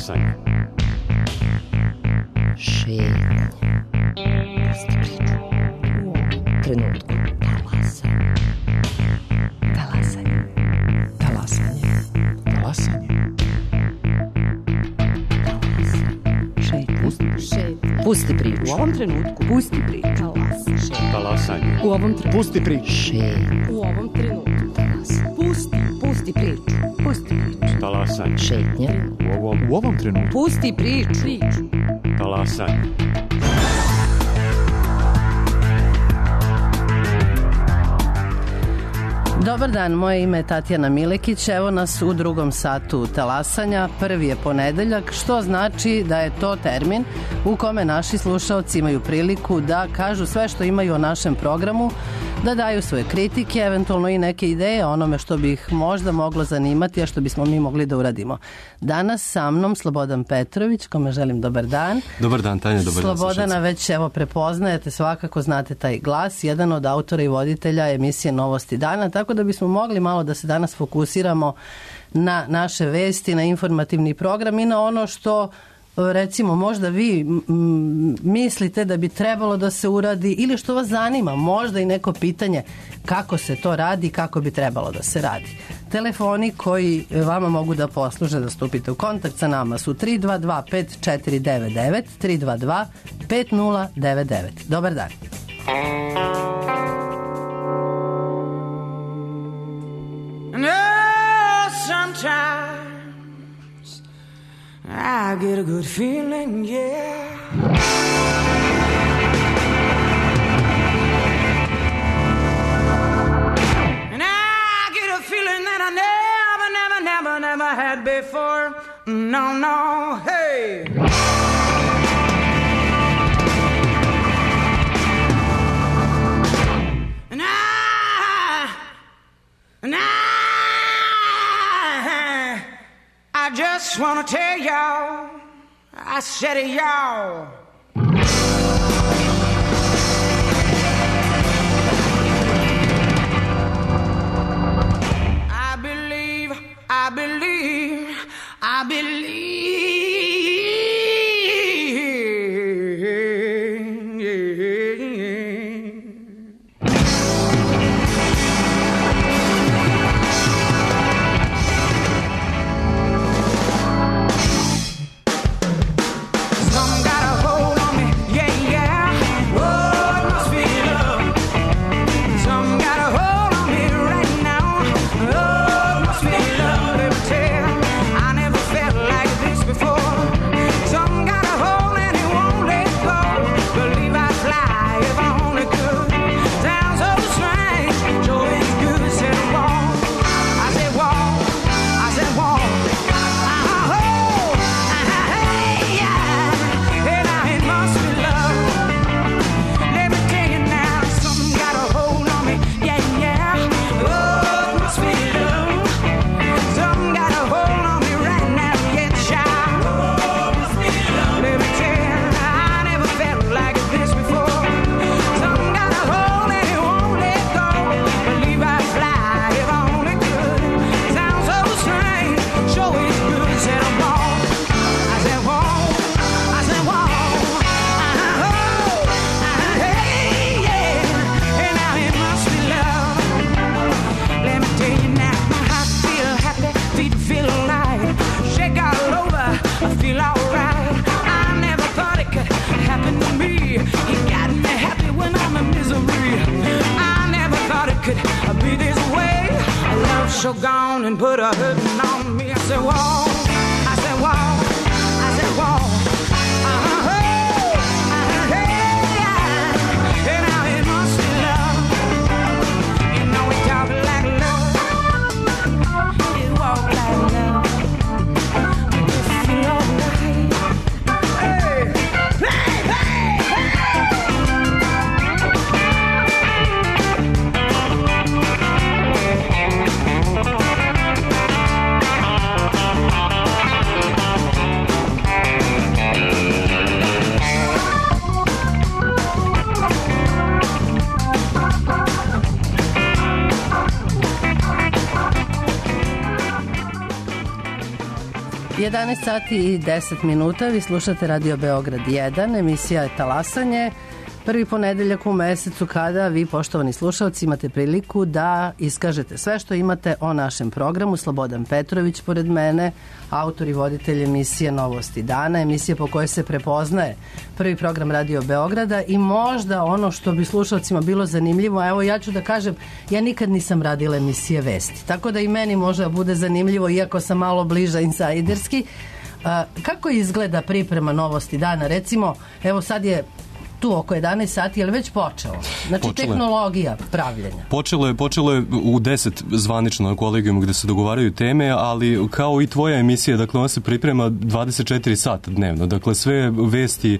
Talasanje. Šetnje. Pusti priču. U ovom trenutku. Talasanje. Talasanje. Talasanje. Talasanje. Pusti priču. U ovom trenutku. Pusti priču. Talasanje. U ovom trenutku. Pusti priču. Šetnje. U ovom trenutku. Pusti priču. Pusti priču. Talasanje. Šetnje. U ovom trenutku. Pusti priču. Talasanje. Dobar dan, moje ime je Tatjana Milekić, evo nas u drugom satu talasanja, prvi je ponedeljak, što znači da je to termin u kome naši slušaoci imaju priliku da kažu sve što imaju o našem programu, da daju svoje kritike, eventualno i neke ideje o onome što bi ih možda moglo zanimati, a što bismo mi mogli da uradimo. Danas sa mnom Slobodan Petrović, kome želim dobar dan. Dobar dan, Tanja, dobar dan. Slobodana već evo prepoznajete, svakako znate taj glas, jedan od autora i voditelja emisije Novosti dana, tako da bismo mogli malo da se danas fokusiramo na naše vesti, na informativni program i na ono što recimo možda vi mislite da bi trebalo da se uradi ili što vas zanima, možda i neko pitanje kako se to radi, kako bi trebalo da se radi. Telefoni koji vama mogu da posluže da stupite u kontakt sa nama su 322-5499, 322-5099. Dobar dan. Sometimes I get a good feeling, yeah. And I get a feeling that I never had before. No, no, hey. And I just wanna tell y'all, I said it, y'all. I believe. So gone and put a hurting on me. I said, whoa, I said, whoa, I said, whoa. And now it must be love. You know we talk like love. It walk like love. You feel alright. Hey, hey, hey, hey. 11 sati i 10 minuta, vi slušate Radio Beograd 1, emisija je Talasanje. Prvi ponedeljak u mesecu kada vi, poštovani slušalci, imate priliku da iskažete sve što imate o našem programu. Slobodan Petrović pored mene, autor i voditelj emisije Novosti dana, emisije po kojoj se prepoznaje prvi program Radio Beograda i možda ono što bi slušalcima bilo zanimljivo, evo ja ću da kažem, ja nikad nisam radila emisije vesti, tako da i meni možda bude zanimljivo, iako sam malo bliža insajderski. Kako izgleda priprema Novosti dana? Recimo, evo sad je tu oko 11 sati, je li već počelo? Znači, počelo tehnologija pravljenja. Počelo je u 10 zvanično na kolegijumu gde se dogovaraju teme, ali kao i tvoja emisija, dakle, ona se priprema 24 sata dnevno. Dakle, sve vesti,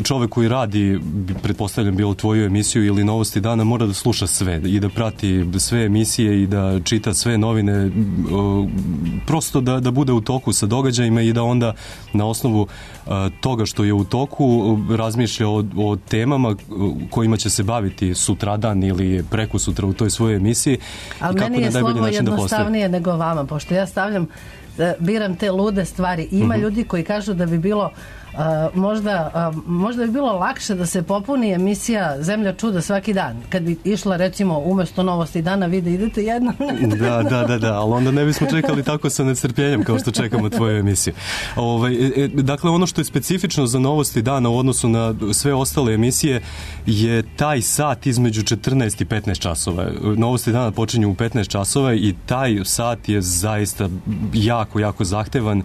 čovek koji radi, pretpostavljam bilo tvoju emisiju ili Novosti dana, mora da sluša sve i da prati sve emisije i da čita sve novine, prosto da bude u toku sa događajima i da onda na osnovu toga što je u toku razmišlja o temama kojima će se baviti sutradan ili preko sutra u toj svojoj emisiji. Ali meni je slovo jednostavnije nego vama, pošto ja biram te lude stvari. Ima ljudi koji kažu da bi bilo možda bi bilo lakše da se popuni emisija Zemlja čuda svaki dan. Kad bi išla, recimo, umesto Novosti dana, vi da idete jednom. Da, ali onda ne bismo čekali tako sa nestrpljenjem kao što čekamo tvoju emisiju. Dakle, ono što je specifično za Novosti dana u odnosu na sve ostale emisije je taj sat između 14 i 15 časova. Novosti dana počinju u 15 časova i taj sat je zaista jako zahtevan,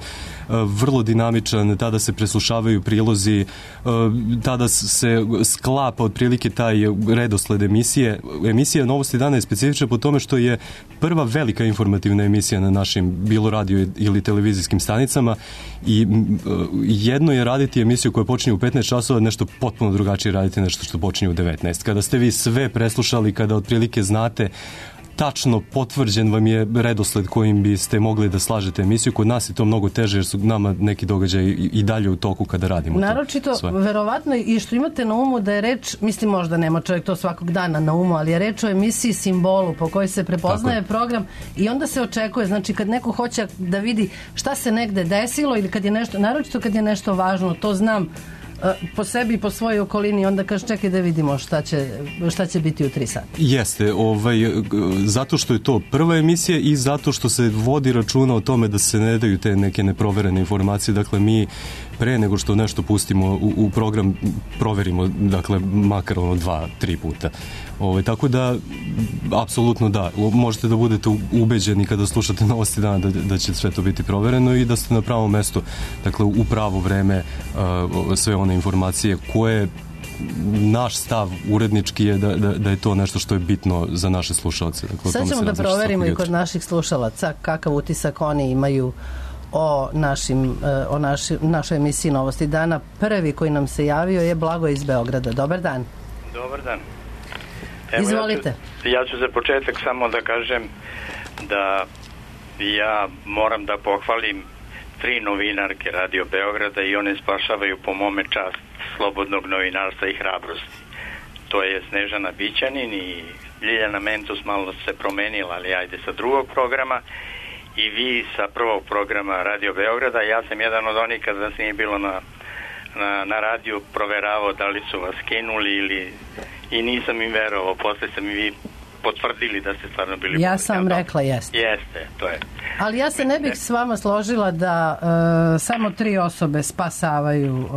vrlo dinamičan, tada se preslušavaju prilozi, tada se sklapa otprilike taj redosled emisije. Emisija Novosti dana je specifična po tome što je prva velika informativna emisija na našim bilo radio ili televizijskim stanicama i jedno je raditi emisiju koja počinje u 15 časova, nešto potpuno drugačije raditi nešto što počinje u 19. Kada ste vi sve preslušali, kada otprilike znate tačno potvrđen vam je redosled kojim biste mogli da slažete emisiju. Kod nas je to mnogo teže jer su nama neki događaji i dalje u toku kada radimo. Naročito, verovatno i što imate na umu da je reč, mislim možda nema čovjek to svakog dana na umu, ali je reč o emisiji simbolu po kojoj se prepoznaje program i onda se očekuje, znači kad neko hoće da vidi šta se negde desilo ili kad je nešto, naročito kad je nešto važno, to znam po sebi i po svojoj okolini, onda kaže čekaj da vidimo šta će biti u 3 sata. Jeste, zato što je to prva emisija i zato što se vodi računa o tome da se ne daju te neke neproverene informacije. Dakle, mi pre nego što nešto pustimo u program proverimo, dakle, makar 2-3 puta. Tako da, apsolutno da, možete da budete ubeđeni kada slušate Novosti dana da će sve to biti provereno i da ste na pravom mestu, dakle, u pravo vreme sve one informacije koje naš stav urednički je da je to nešto što je bitno za naše slušalce. Dakle, sad ćemo da proverimo i kod naših slušalaca kakav utisak oni imaju o našoj emisiji Novosti dana. Prvi koji nam se javio je Blagoje iz Beograda. Dobar dan. Dobar dan. Izvolite. Ja ću za početak samo da kažem da ja moram da pohvalim 3 novinarke Radio Beograda i one spašavaju po mome čast slobodnog novinarstva i hrabrosti. To je Snežana Bićanin i Ljiljana Mentus, malo se promenila, ali ajde sa drugog programa, i vi sa prvog programa Radio Beograda. Ja sam jedan od onih kada vas nije bilo na radiju proveravao da li su vas skinuli i nisam im verovao. Posle sam i vi potvrdili da ste stvarno bili... Ja sam rekla jeste. Jeste, to je. Ali ja se ne bih s vama složila da samo 3 osobe spasavaju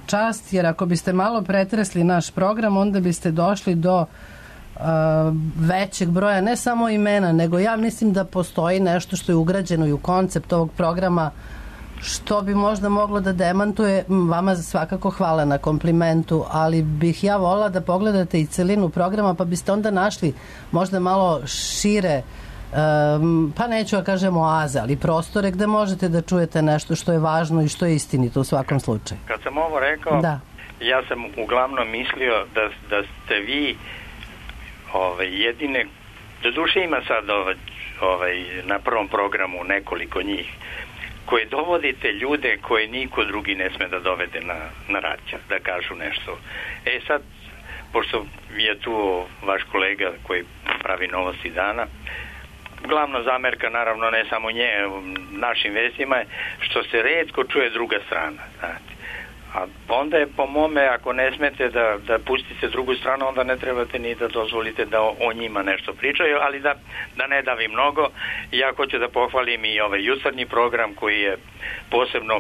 čast, jer ako biste malo pretresli naš program, onda biste došli do većeg broja, ne samo imena, nego ja mislim da postoji nešto što je ugrađeno i u koncept ovog programa što bi možda moglo da demantuje. Vama svakako hvala na komplimentu, ali bih ja volila da pogledate i celinu programa, pa biste onda našli možda malo šire, pa neću da kažem oaze, ali prostore gde možete da čujete nešto što je važno i što je istinito u svakom slučaju. Kad sam ovo rekao, da. Ja sam uglavnom mislio da ste vi jedine, do duše ima sad na prvom programu nekoliko njih, koje dovodite ljude koje niko drugi ne sme da dovede na radio, da kažu nešto. Sad, pošto je tu vaš kolega koji pravi Novosti dana, glavna zamerka, naravno ne samo nje, našim vestima je što se retko čuje druga strana, znate. A onda je po mome, ako ne smete da pustite drugu stranu, onda ne trebate ni da dozvolite da o njima nešto pričaju, ali da ne davi mnogo. Ja hoću da pohvalim i ovaj jutarnji program koji je posebno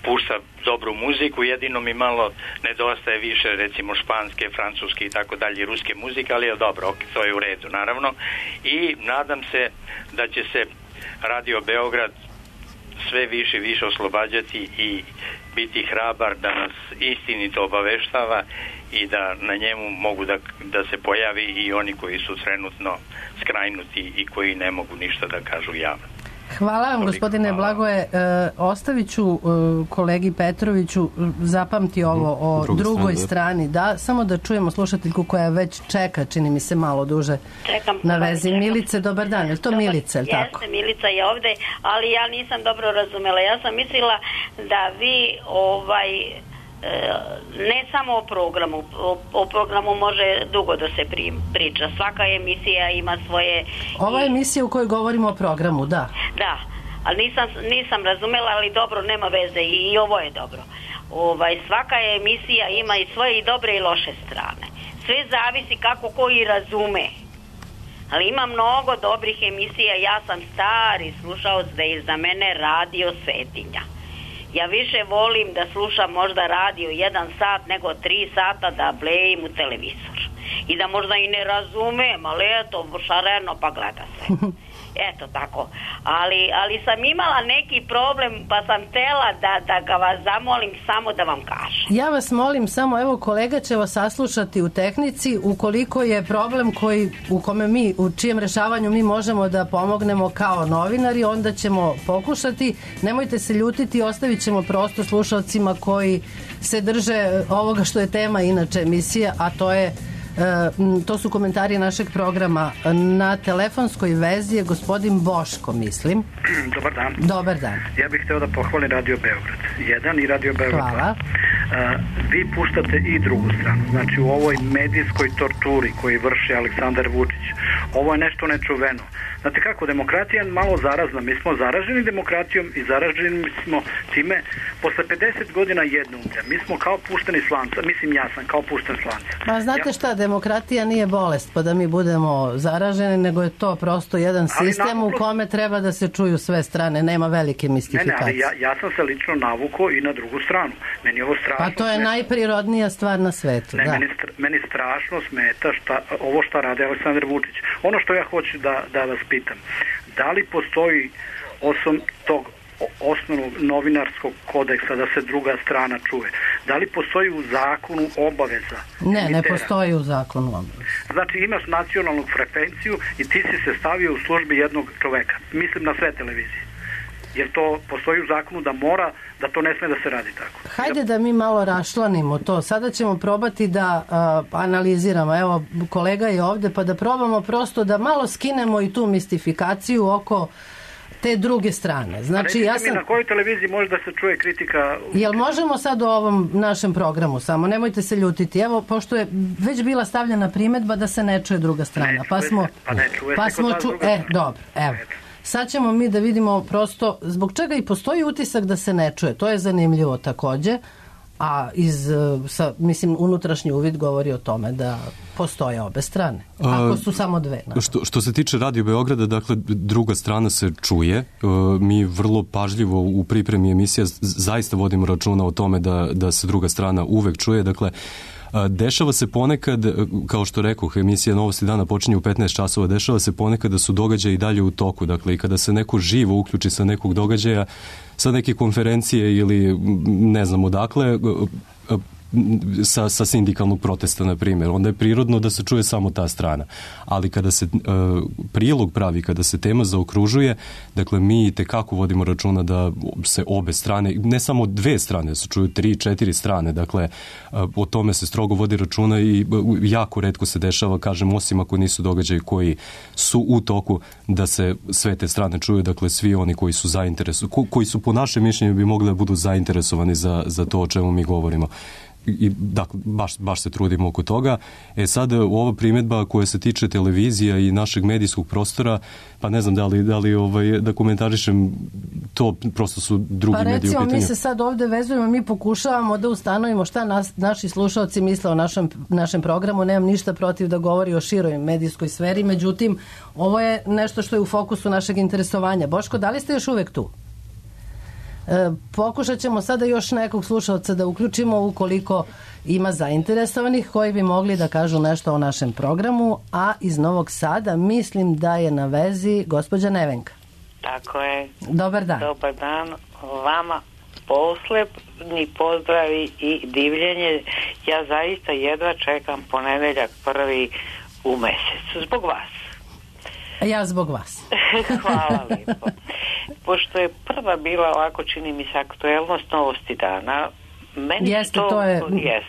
pušta dobru muziku, jedino mi malo nedostaje više recimo španske, francuske i tako dalje, ruske muzike, ali je dobro, to je u redu naravno. I nadam se da će se Radio Beograd sve više i više oslobađati i biti hrabar da nas istinito obaveštava i da na njemu mogu da se pojavi i oni koji su trenutno skrajnuti i koji ne mogu ništa da kažu javno. Hvala vam, gospodine Blagoje. Ostavit ću kolegi Petroviću zapamti ovo o drugoj strani. Da, samo da čujemo slušateljku koja već čeka, čini mi se malo duže na vezi. Milice, dobar dan. Je li to Milica, je li tako? Jeste, Milica je ovde, ali ja nisam dobro razumela. Ja sam mislila da vi ne samo o programu može dugo da se priča. Svaka emisija ima svoje... Ova emisija u kojoj govorimo o programu, da. Da, ali nisam razumela, ali dobro, nema veze i ovo je dobro. Svaka emisija ima i svoje i dobre i loše strane. Sve zavisi kako koji razume. Ali ima mnogo dobrih emisija. Ja sam stari slušaoc da je za mene radio Svetinja. Ja više volim da slušam možda radio 1 sat nego 3 sata da blejim u televizor. I da možda i ne razumem, ali eto, šareno pa gleda se. Eto tako. Ali sam imala neki problem pa sam htela da ga vas zamolim samo da vam kažem. Ja vas molim samo, evo kolega će vas saslušati u tehnici, ukoliko je problem u čijem rešavanju mi možemo da pomognemo kao novinari, onda ćemo pokušati. Nemojte se ljutiti, ostavit ćemo prosto slušalcima koji se drže ovoga što je tema inače emisije, a to su komentari našeg programa. Na telefonskoj vezi je gospodin Boško, mislim. Dobar dan. Dobar dan. Ja bih hteo da pohvalim Radio Beograd 1 i Radio Beograd 2. Hvala. Vi puštate i drugu stranu. Znači u ovoj medijskoj torturi koji vrši Aleksandar Vučić, ovo je nešto nečuveno. Znate kako, demokratija je malo zarazna. Mi smo zaraženi demokratijom i zaraženi smo time posle 50 godina jednoumlja. Mi smo kao pušteni slanca. Mislim, ja sam kao pušten slanca. Ma znate šta, demokratija nije bolest pa da mi budemo zaraženi, nego je to prosto jedan sistem u kome treba da se čuju sve strane. Nema velike mistifikacije. Ne, ali ja sam se lično navukao i na drugu stranu. Meni ovo strašno... Pa to je najprirodnija stvar na svetu. Ne, meni strašno smeta ovo šta rade Aleksandar Vučić. Ono što ja hoću da vas pitam, da li postoji osim tog osnovnog novinarskog kodeksa da se druga strana čuje? Da li postoji u zakonu obaveza? Ne postoji u zakonu obaveza. Znači imaš nacionalnu frekvenciju i ti si se stavio u službi jednog čoveka. Mislim na sve televizije. Jer to postoji u zakonu da to ne sme da se radi tako. Hajde da mi malo raščlanimo to. Sada ćemo probati da analiziramo. Evo, kolega je ovde, pa da probamo prosto da malo skinemo i tu mistifikaciju oko te druge strane. Znači, mi na kojoj televiziji može da se čuje kritika? Jel možemo sad o ovom našem programu samo? Nemojte se ljutiti. Evo, pošto je već bila stavljena primedba da se ne čuje druga strana. Dobro, evo. Sad ćemo mi da vidimo prosto zbog čega i postoji utisak da se ne čuje. To je zanimljivo takođe, a unutrašnji uvid govori o tome da postoje obe strane, ako su samo dve. Što se tiče Radio Beograda, dakle, druga strana se čuje. Mi vrlo pažljivo u pripremi emisija zaista vodimo računa o tome da se druga strana uvek čuje. Dakle, dešava se ponekad, kao što rekoh, emisija Novosti dana počinje u 15 časova, dešava se ponekad da su događaji i dalje u toku. Dakle, i kada se neko živo uključi sa nekog događaja, sa neke konferencije ili ne znam odakle, sa sindikalnog protesta, na primjer, onda je prirodno da se čuje samo ta strana. Ali kada se prilog pravi, kada se tema zaokružuje, dakle, mi itekako vodimo računa da se obe strane, ne samo dve strane, da se čuju 3-4 strane, dakle, o tome se strogo vodi računa i jako retko se dešava, kažem, osim ako nisu događaji koji su u toku, da se sve te strane čuju, dakle, svi oni koji su zainteresovani, koji su po našem mišljenju bi mogli da budu zainteresovani za to o čemu mi govorimo. i dakle, baš se trudimo oko toga. Sad, ova primjedba koja se tiče televizija i našeg medijskog prostora, pa ne znam da komentarišem, to prosto su drugi mediji u pitanju. Pa recimo, mi se sad ovdje vezujemo, mi pokušavamo da ustanovimo šta naši slušalci misle o našem programu. Nemam ništa protiv da govori o široj medijskoj sferi, međutim, ovo je nešto što je u fokusu našeg interesovanja. Boško, da li ste još uvek tu? Pokušat ćemo sada još nekog slušalca da uključimo ukoliko ima zainteresovanih koji bi mogli da kažu nešto o našem programu, a iz Novog Sada mislim da je na vezi gospođa Nevenka. Tako je. Dobar dan. Dobar dan vama. Poslednji pozdravi i divljenje. Ja zaista jedva čekam ponedeljak prvi u mesecu. Zbog vas. Ja zbog vas. Hvala lijepo. Pošto je prva bila ovako, čini mi se, aktuelnost novosti dana, meni jeste,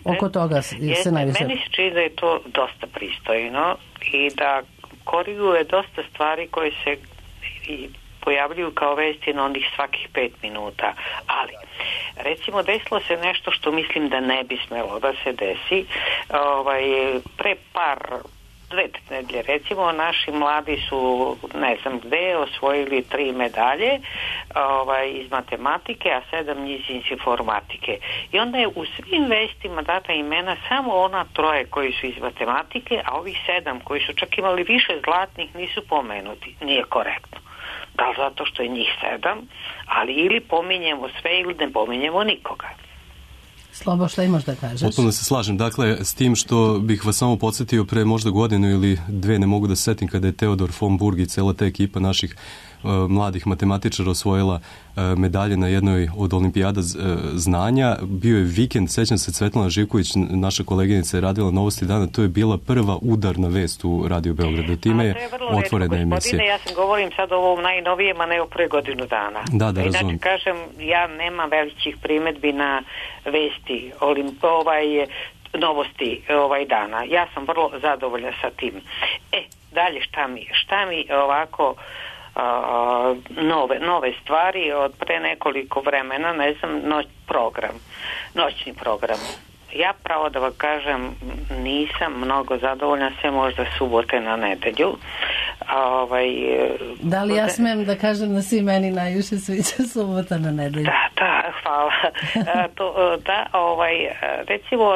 oko toga se najviše. Meni se čini da je to dosta pristojno i da koriguje dosta stvari koje se pojavljuju kao vesti na onih svakih 5 minuta. Ali, recimo, desilo se nešto što mislim da ne bi smelo da se desi. Pre dve nedelje, recimo, naši mladi su, ne znam gde, osvojili 3 medalje iz matematike, a 7 njih iz informatike. I onda je u svim vestima data imena samo ona 3 koji su iz matematike, a ovih 7 koji su čak imali više zlatnih nisu pomenuti. Nije korektno. Da li zato što je njih 7, ali ili pominjemo sve ili ne pominjemo nikoga. Slobo, šta imaš da kažeš? Potpuno se slažem. Dakle, s tim što bih vas samo podsjetio pre možda godinu ili 2, ne mogu da setim, kada je Teodor von Burg i cela ta ekipa naših mladih matematičara osvojila medalje na jednoj od olimpijada znanja. Bio je vikend, sećam se, Svetlana Živković, naša koleginica, je radila Novosti dana, to je bila prva udarna vest u Radio Beogradu. Time je otvorena emisija. Ja sam govorim sad o ovom najnovijem, a ne o pre godinu dana. Da, razumem. Inače, kažem, ja nemam velikih primedbi na vesti, novosti dana. Ja sam vrlo zadovoljna sa tim. Dalje šta mi ovako nove stvari od pre nekoliko vremena, ne znam, noćni program. Ja pravo da vam kažem, nisam mnogo zadovoljna, sve možda subote na nedelju. Da li ja smem da kažem da svi meni najviše sviđa subota na nedelju? Da, hvala. Recimo,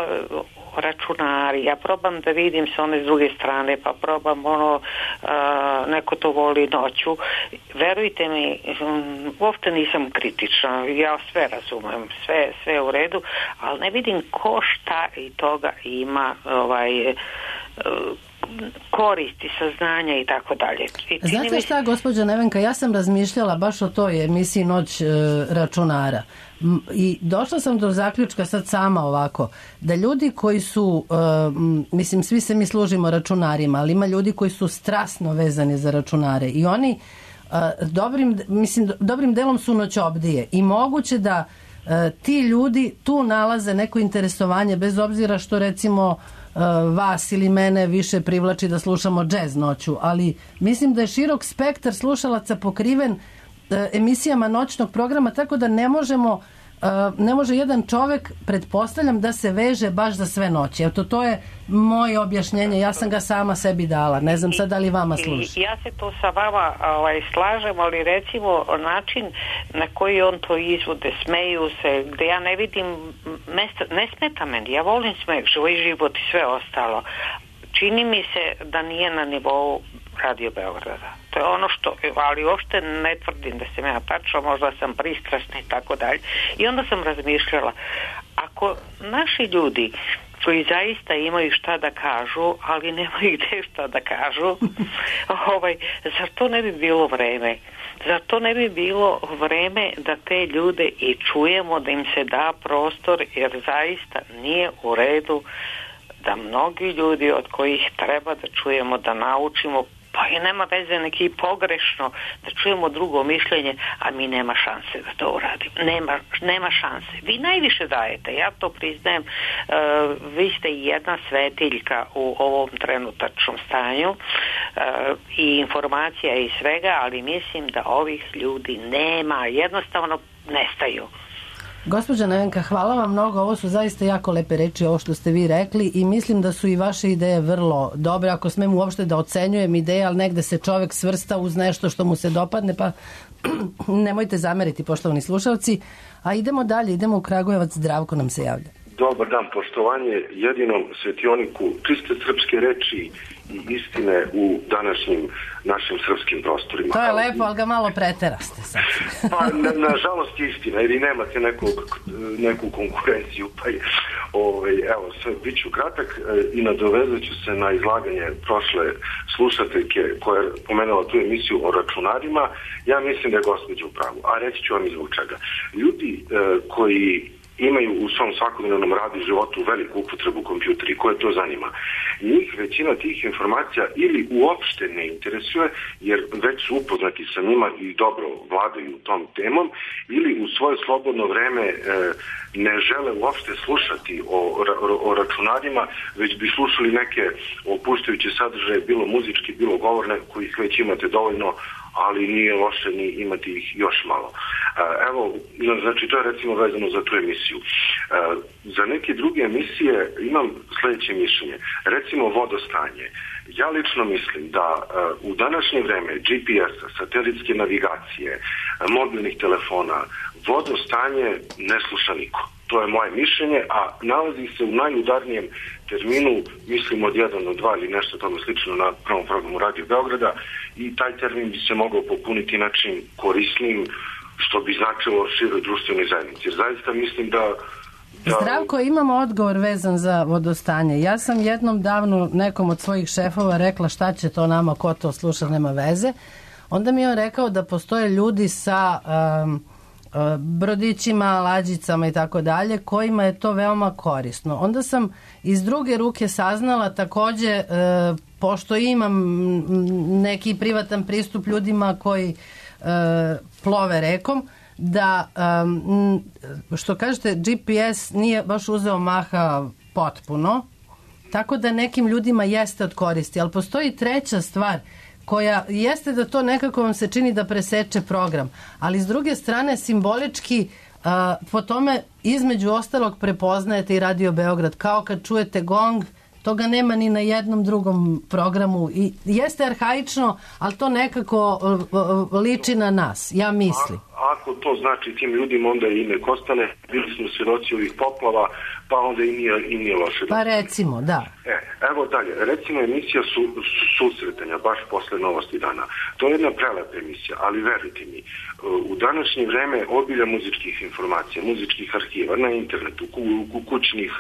računari, ja probam da vidim s one s druge strane, pa probam neko to voli noću. Verujte mi, uopšte nisam kritična, ja sve razumem, sve u redu, ali ne vidim ko šta i toga ima koristi, saznanja i tako dalje. Znate šta, gospođa Nevenka, ja sam razmišljala baš o toj emisiji Noć računara i došla sam do zaključka sad sama ovako, da ljudi koji su, mislim, svi se mi služimo računarima, ali ima ljudi koji su strasno vezani za računare i oni dobrim delom su noćobdije i moguće da ti ljudi tu nalaze neko interesovanje, bez obzira što recimo vas ili mene više privlači da slušamo džez noću, ali mislim da je širok spektar slušalaca pokriven emisijama noćnog programa, tako da ne može jedan čovek, pretpostavljam, da se veže baš za sve noći. Eto, to je moje objašnjenje, ja sam ga sama sebi dala, ne znam sad da li vama služi. Ja se to sa vama slažem, ali recimo način na koji on to izvode, smeju se, gde ja ne vidim ne smeta meni, ja volim smeh, život i sve ostalo. Čini mi se da nije na nivou Radio Beograda. To je ono što, ali uopšte ne tvrdim da sam ja tačno, možda sam pristrasna i tako dalje. I onda sam razmišljala, ako naši ljudi koji zaista imaju šta da kažu, ali nemaju gde šta da kažu, zar to ne bi bilo vreme? Zar to ne bi bilo vreme da te ljude i čujemo, da im se da prostor, jer zaista nije u redu da mnogi ljudi od kojih treba da čujemo, da naučimo, pa i nema veze neki pogrešno, da čujemo drugo mišljenje, a mi nema šanse da to uradimo. Nema šanse. Vi najviše dajete, ja to priznajem, vi ste jedna svetiljka u ovom trenutačnom stanju i informacija i svega, ali mislim da ovih ljudi nema, jednostavno nestaju. Gospođa Nevenka, hvala vam mnogo, ovo su zaista jako lepe reči, ovo što ste vi rekli, i mislim da su i vaše ideje vrlo dobre, ako smem uopšte da ocenjujem ideje, ali negde se čovek svrsta uz nešto što mu se dopadne, pa nemojte zameriti, poštovani slušalci. A idemo dalje, idemo u Kragujevac, Zdravko nam se javlja. Dobar dan, poštovanje jedinom svetioniku čiste srpske reči i istine u današnjim našim srpskim prostorima. To je lepo, ali ga malo preteraste sad. Pa, nažalost je istina, jer i nemate neku konkurenciju, pa je, evo, sve, bit ću kratak i nadovezat ću se na izlaganje prošle slušateljke koja je pomenula tu emisiju o računarima. Ja mislim da je gospođa u pravu, a reći ću vam i zbog čega. Ljudi koji imaju u svom svakodnevnom radu i životu veliku upotrebu kompjutera i koje to zanima. Njih većina tih informacija ili uopšte ne interesuje, jer već su upoznati sa njima i dobro vladaju tom temom, ili u svoje slobodno vreme ne žele uopšte slušati o računarima, već bi slušali neke opuštajuće sadržaje, bilo muzički, bilo govorne, kojih već imate dovoljno, ali nije loše ni imati ih još malo. Evo, znači to je recimo vezano za tu emisiju. Za neke druge emisije imam sledeće mišljenje. Recimo vodostanje. Ja lično mislim da u današnje vreme GPS-a, satelitske navigacije, mobilnih telefona, vodostanje ne sluša niko. To je moje mišljenje, a nalazi se u najudarnijem terminu, mislim od 1 do 2 ili nešto tome slično na prvom programu Radio Beograda, i taj termin bi se mogao popuniti način korisnim, što bi značilo široj društvenoj zajednici. Jer zaista mislim da... Zdravko, imamo odgovor vezan za vodostanje. Ja sam jednom davno nekom od svojih šefova rekla šta će to nama, ko to sluša, nema veze. Onda mi je on rekao da postoje ljudi sa brodićima, lađicama i tako dalje, kojima je to veoma korisno. Onda sam iz druge ruke saznala takođe, pošto imam neki privatan pristup ljudima koji plove rekom, da, što kažete, GPS nije baš uzeo maha potpuno, tako da nekim ljudima jeste od koristi, ali postoji treća stvar koja jeste da to nekako vam se čini da preseče program, ali s druge strane simbolički po tome između ostalog prepoznajete i Radio Beograd, kao kad čujete gong, toga nema ni na jednom drugom programu i jeste arhaično, ali to nekako liči na nas, ja mislim. Ako to znači tim ljudima, onda je ime Kostane, bili smo svjedoci ovih poplava, pa onda i nije loše. Pa recimo, da. Evo dalje, recimo emisija susretanja, baš posle Novosti dana. To je jedna prelepa emisija, ali verujte mi, u današnje vreme obilja muzičkih informacija, muzičkih arhiva, na internetu, kućnih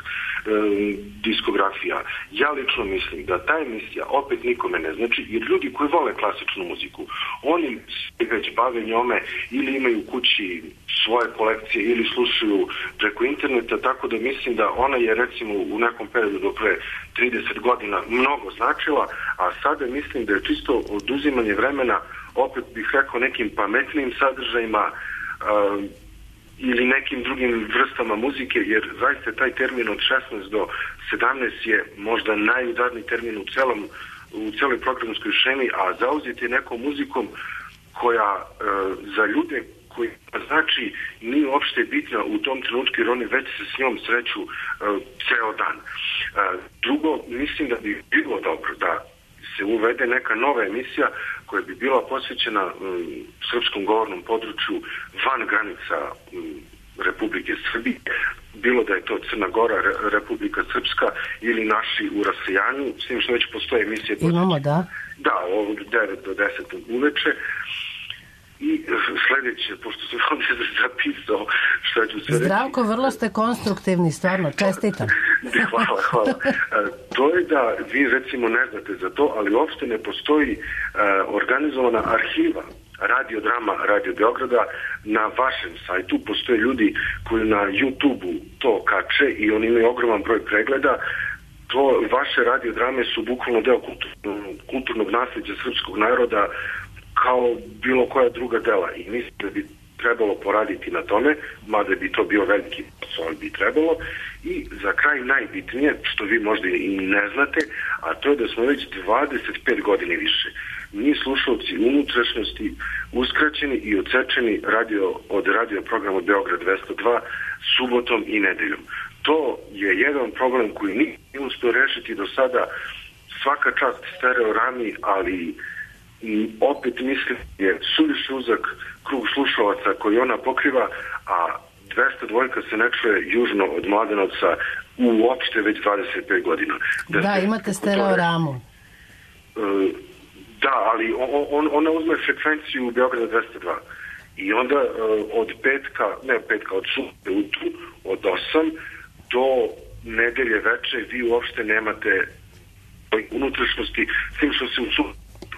diskografija. Ja lično mislim da ta emisija opet nikome ne znači, jer ljudi koji vole klasičnu muziku, oni se već bave njome ili imaju u kući svoje kolekcije ili slušaju preko interneta, tako da mislim da ona je recimo u nekom periodu do pre 30 godina mnogo značila, a sada mislim da je čisto oduzimanje vremena, opet bih rekao, nekim pametnim sadržajima ili nekim drugim vrstama muzike, jer zaista taj termin od 16 do 17 je možda najudarniji termin u celoj programskoj šemi, a zauzeti je nekom muzikom koja za ljude koji znači nije uopšte bitna u tom trenutku, jer oni već se s njom sreću ceo dan. Drugo, mislim da bi bilo dobro da se uvede neka nova emisija koja bi bila posvećena srpskom govornom području van granica Republike Srbije, bilo da je to Crna Gora, Republika Srpska ili naši u rasejanju, s tim što već postoje emisije. Imamo, da. Da, od 9 do 10 uveče. I sledeće, pošto sam ovdje zapisao šta ću se reći. Zdravko, vrlo ste konstruktivni, stvarno, čestitam. Hvala. To je da vi recimo ne znate za to, ali uopšte ne postoji organizovana arhiva radiodrama Radio Beograda na vašem sajtu. Postoje ljudi koji na YouTube-u to kače i oni imaju ogroman broj pregleda. To vaše radiodrame su bukvalno deo kulturnog nasljeđa srpskog naroda, kao bilo koja druga dela, i mislim da bi trebalo poraditi na tome, mada bi to bio veliki posao, ali bi trebalo. I za kraj najbitnije, što vi možda i ne znate, a to je da smo već 25 godina više mi slušalci unutrašnjosti uskraćeni i odsečeni od radio programa Beograd 202 subotom i nedeljom. To je jedan problem koji nije uspio rešiti do sada. Svaka čast stereorami, ali opet mislim je suviše uzak krug slušalaca koji ona pokriva, a 202 se ne čuje južno od Mladenovca uopšte već 25 godina. Da, imate stereoramu. Da, ali ona uzme frekvenciju Beograda 202. I onda od subote od 8 do nedelje veče vi uopšte nemate unutrašnjosti, s tim što se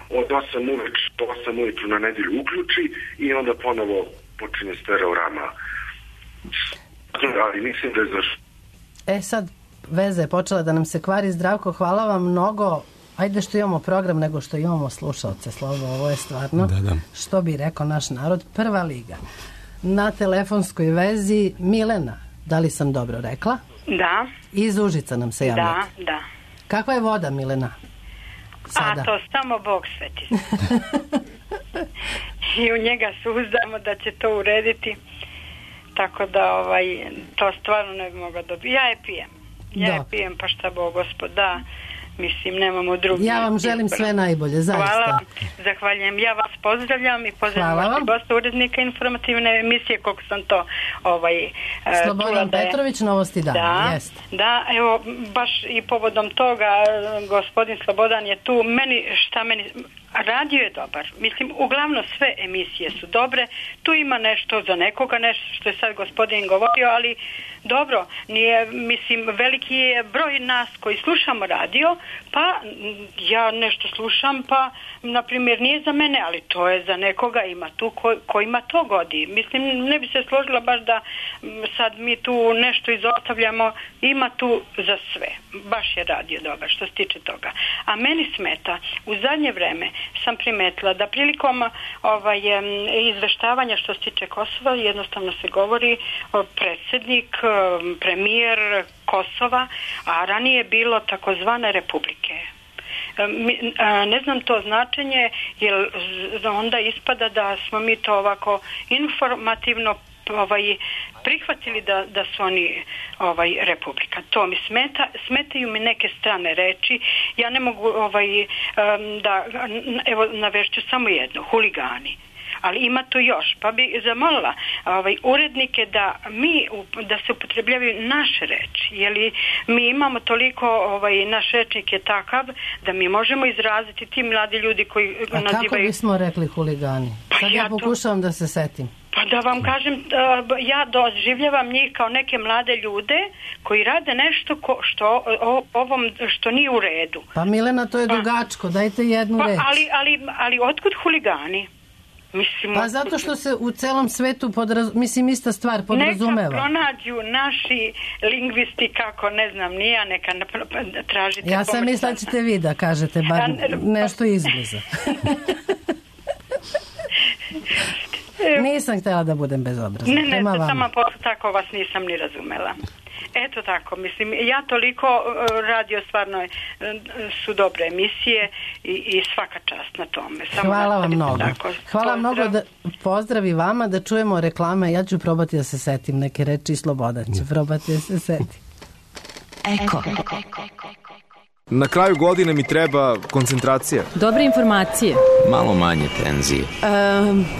od 8 ujutru na nedelju uključi i onda ponovo počinje stereorama. Ali mislim da je zašto. Sad veza je počela da nam se kvari. Zdravko, hvala vam mnogo. Ajde što imamo program nego što imamo slušalce, Slobo, ovo je stvarno, što bi rekao naš narod, prva liga. Na telefonskoj vezi Milena, da li sam dobro rekla? Da. Iz Užica nam se javljate. Da. Kakva je voda, Milena? Sada. A to samo Bog sveti. I u njega se uzdamo da će to urediti, tako da to stvarno ne bi mogla dobiti. Ja je pijem, pa šta Bog Gospod da. Mislim, nemamo drugi. Ja vam želim sve najbolje, zaista. Hvala, zahvaljujem. Ja vas pozdravljam i pozdravljam vašeg gosta, urednika informativne emisije, koliko sam to Slobodan Petrović, Novosti dana. Jest. Da, evo, baš i povodom toga, gospodin Slobodan je tu. Radio je dobar. Mislim, uglavnom sve emisije su dobre. Tu ima nešto za nekoga, nešto što je sad gospodin govorio, ali dobro, nije, mislim, veliki je broj nas koji slušamo radio, pa ja nešto slušam, pa, na primjer, nije za mene, ali to je za nekoga, ima tu kojima to godi. Mislim, ne bi se složila baš da sad mi tu nešto izostavljamo, ima tu za sve. Baš je radio dobar što se tiče toga. A meni smeta, u zadnje vreme sam primetila da prilikom izveštavanja što se tiče Kosova jednostavno se govori predsjednik, premijer Kosova, a ranije je bilo takozvane republike. Ne znam to značenje, jer onda ispada da smo mi to ovako informativno prihvatili da su oni republika. To mi smetaju mi neke strane reči. Ja ne mogu evo navešću samo jedno, huligani. Ali ima tu još, pa bi zamolila urednike da se upotrebljavaju naše reči, jer mi imamo toliko, naš rečnik je takav da mi možemo izraziti ti mladi ljudi koji nazivaju... A kako bismo rekli huligani? Sad ja pokušavam da se setim. Pa da vam kažem, ja doživljavam njih kao neke mlade ljude koji rade nešto što nije u redu. Pa Milena, to je dugačko, dajte jednu reč. Ali otkud huligani? Mislim, pa zato što se u celom svetu ista stvar podrazumeva. Neka pronađu naši lingvisti kako, ne znam, neka tražite. Ja sam mislila da ćete vi da kažete bar nešto izbliza. Nisam htjela da budem bezobrazna. Ne, samo tako vas nisam ni razumela. Eto tako, mislim, ja toliko radio stvarno su dobre emisije i svaka čast na tome. Hvala vam mnogo. Hvala mnogo, pozdravi vama, da čujemo reklame. Ja ću probati da se setim neke reči i Slobodan će probati da se seti. Eko. Na kraju godine mi treba koncentracija. Dobre informacije. Malo manje tenzije.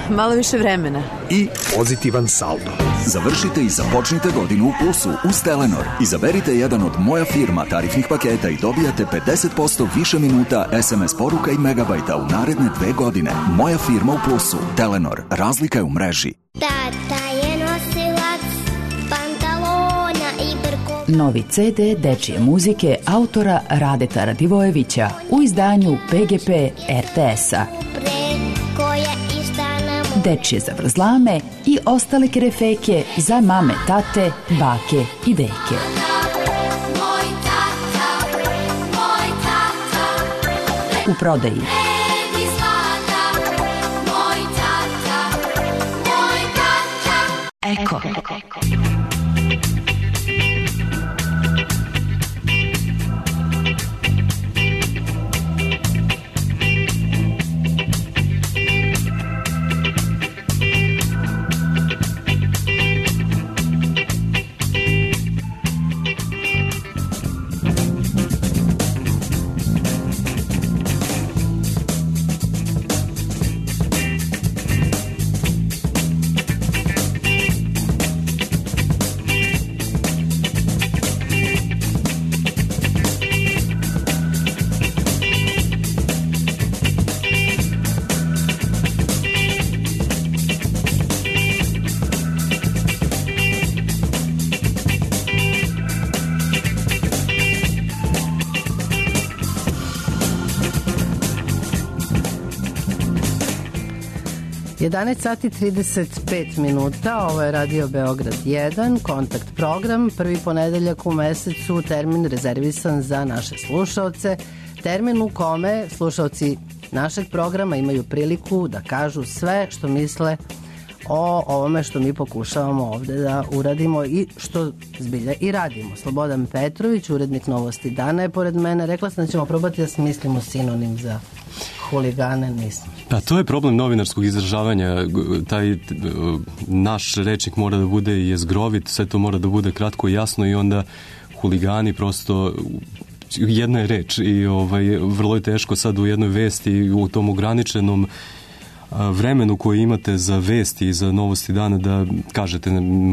Malo više vremena. I pozitivan saldo. Završite i započnite godinu u plusu uz Telenor. Izaberite jedan od Moja firma tarifnih paketa i dobijate 50% više minuta, SMS poruka i megabajta u naredne 2 godine. Moja firma u plusu. Telenor. Razlika je u mreži. Tata je nosilac pantalona i brko. Novi CD dečije muzike autora Radeta Radivojevića u izdanju PGP RTS-a. Dečije zavrzlame i ostale kerefeke za mame, tate, bake i deke. U prodaji Eko. 11 sati 35 minuta, ovo je Radio Beograd 1, kontakt program, prvi ponedeljak u mesecu, termin rezervisan za naše slušaoce, termin u kome slušaoci našeg programa imaju priliku da kažu sve što misle o ovome što mi pokušavamo ovde da uradimo i što zbilja i radimo. Slobodan Petrović, urednik Novosti dana, je pored mene. Rekla sam da ćemo probati da smislimo sinonim za huligane, nismo. Pa to je problem novinarskog izražavanja. Taj naš rečnik mora da bude jezgrovit, sve to mora da bude kratko i jasno i onda huligani prosto jedna je reč i vrlo je teško sad u jednoj vesti u tom ograničenom vremenu koje imate za vesti i za Novosti dana da kažete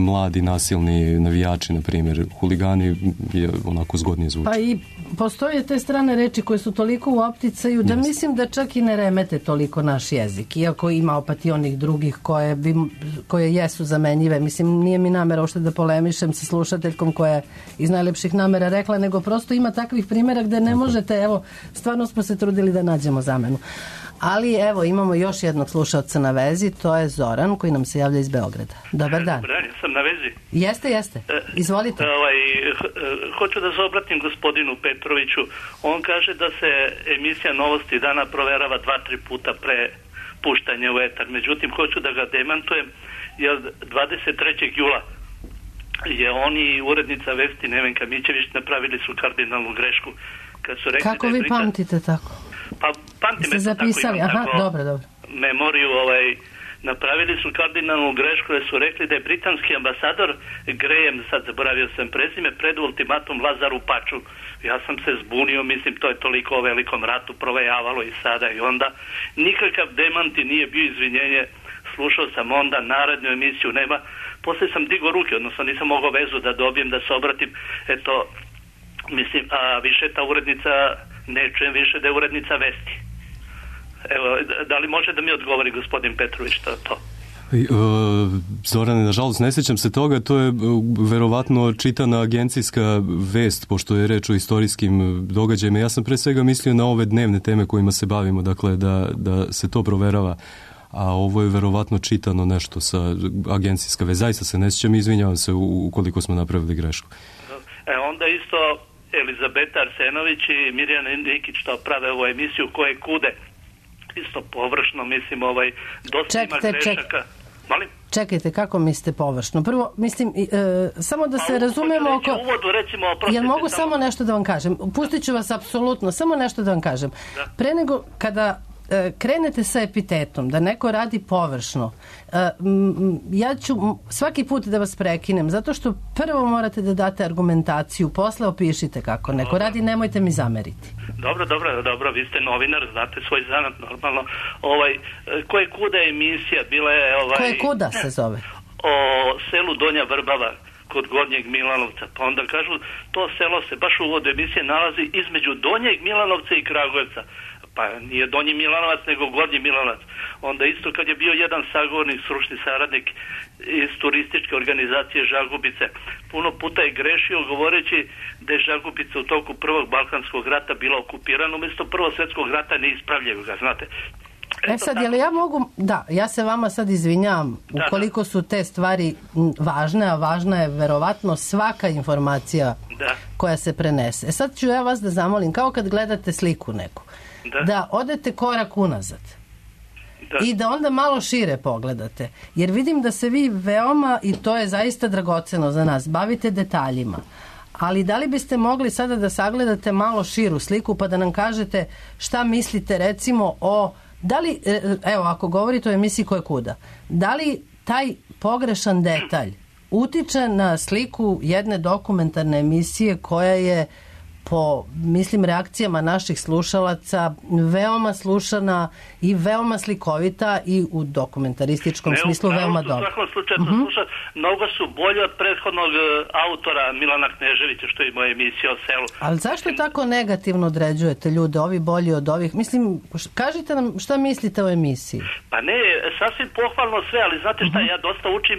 mladi nasilni navijači, na primjer, huligani je onako zgodnije zvuči. Pa i postoje te strane reči koje su toliko u opticaju da mislim da čak i ne remete toliko naš jezik, iako ima opet i onih drugih koje jesu zamenjive. Mislim, nije mi namera uopšte da polemišem sa slušateljkom koja je iz najlepših namera rekla, nego prosto ima takvih primjera gde ne možete, evo, stvarno smo se trudili da nađemo zamenu. Ali evo, imamo još jednog slušalca na vezi, to je Zoran koji nam se javlja iz Beograda. Dobar dan. Dobar dan, ja sam na vezi. Jeste. Izvolite. Hoću da se obratim gospodinu Petroviću. On kaže da se emisija Novosti dana proverava 2-3 puta pre puštanja u etar. Međutim, hoću da ga demantujem, jer 23. jula je on i urednica vesti Nevenka Mićević napravili su kardinalnu grešku. Kad su rekli kako vi pamtite tako? Pa pamtim ste zapisali, dobro. Memoriju, napravili su kardinalnu grešku jer su rekli da je britanski ambasador Graham, sad zaboravio sam prezime, pred ultimatum Lazaru Paču. Ja sam se zbunio, mislim to je toliko o velikom ratu provejavalo i sada i onda. Nikakav demant i nije bio izvinjenje, slušao sam onda narednu emisiju, nema. Poslije sam digao ruke, odnosno nisam mogao vezu da dobijem, da se obratim, eto, mislim, a više ta urednica, ne čujem više da je urednica vesti. Evo, da li može da mi odgovori gospodin Petrović što je to? Zorane, nažalost, ne sjećam se toga, to je verovatno čitana agencijska vest, pošto je reč o istorijskim događajima. Ja sam pre svega mislio na ove dnevne teme kojima se bavimo, dakle da se to proverava, a ovo je verovatno čitano nešto sa agencijska vest. Zaista se ne sjećam, izvinjavam se ukoliko smo napravili grešku. Onda isto Elizabeta Arsenović i Mirjana Nikić to prave ovu emisiju koje kude. Isto površno, mislim, dosta ima grešaka. Molim? Čekajte, kako mislite površno? Prvo, mislim, samo da se razumemo oko... Jel mogu samo nešto da vam kažem? Pustit ću vas apsolutno, samo nešto da vam kažem. Pre nego kada krenete sa epitetom da neko radi površno, ja ću svaki put da vas prekinem, zato što prvo morate da date argumentaciju, posle opišite kako neko radi, nemojte mi zameriti. Dobro, vi ste novinar, znate svoj zanat normalno. Koje kuda emisija bila je... Koje kuda se zove? O selu Donja Vrbava kod Gornjeg Milanovca, pa onda kažu to selo se baš u uvodu emisije nalazi između Donjeg Milanovca i Kragujevca. Pa nije Donji Milanovac nego Gornji Milanovac. Onda isto kad je bio jedan sagovornik, stručni saradnik iz turističke organizacije Žagubice, puno puta je grešio govoreći da je Žagubica u toku prvog Balkanskog rata bila okupirana, umjesto Prvog svjetskog rata ne ispravljaju ga, znate. Sad, jel ja mogu... Da, ja se vama sad izvinjavam ukoliko su te stvari važne, a važna je verovatno svaka informacija koja se prenese. Sad ću ja vas da zamolim, kao kad gledate sliku neku, da odete korak unazad i da onda malo šire pogledate, jer vidim da se vi veoma, i to je zaista dragoceno za nas, bavite detaljima, ali da li biste mogli sada da sagledate malo širu sliku pa da nam kažete šta mislite recimo o, da li, evo ako govorite o emisiji Koje kuda, da li taj pogrešan detalj utiče na sliku jedne dokumentarne emisije koja je po, mislim, reakcijama naših slušalaca veoma slušana i veoma slikovita i u dokumentarističkom smislu veoma dobra. U svakom slučaju sluša, mnogo su bolje od prethodnog autora Milana Kneževića što ima emisija o selu. Ali zašto tako negativno određujete ljude, ovi bolji od ovih? Mislim, kažite nam šta mislite o emisiji. Pa ne, sasvim pohvalno sve, ali znate šta, ja dosta učim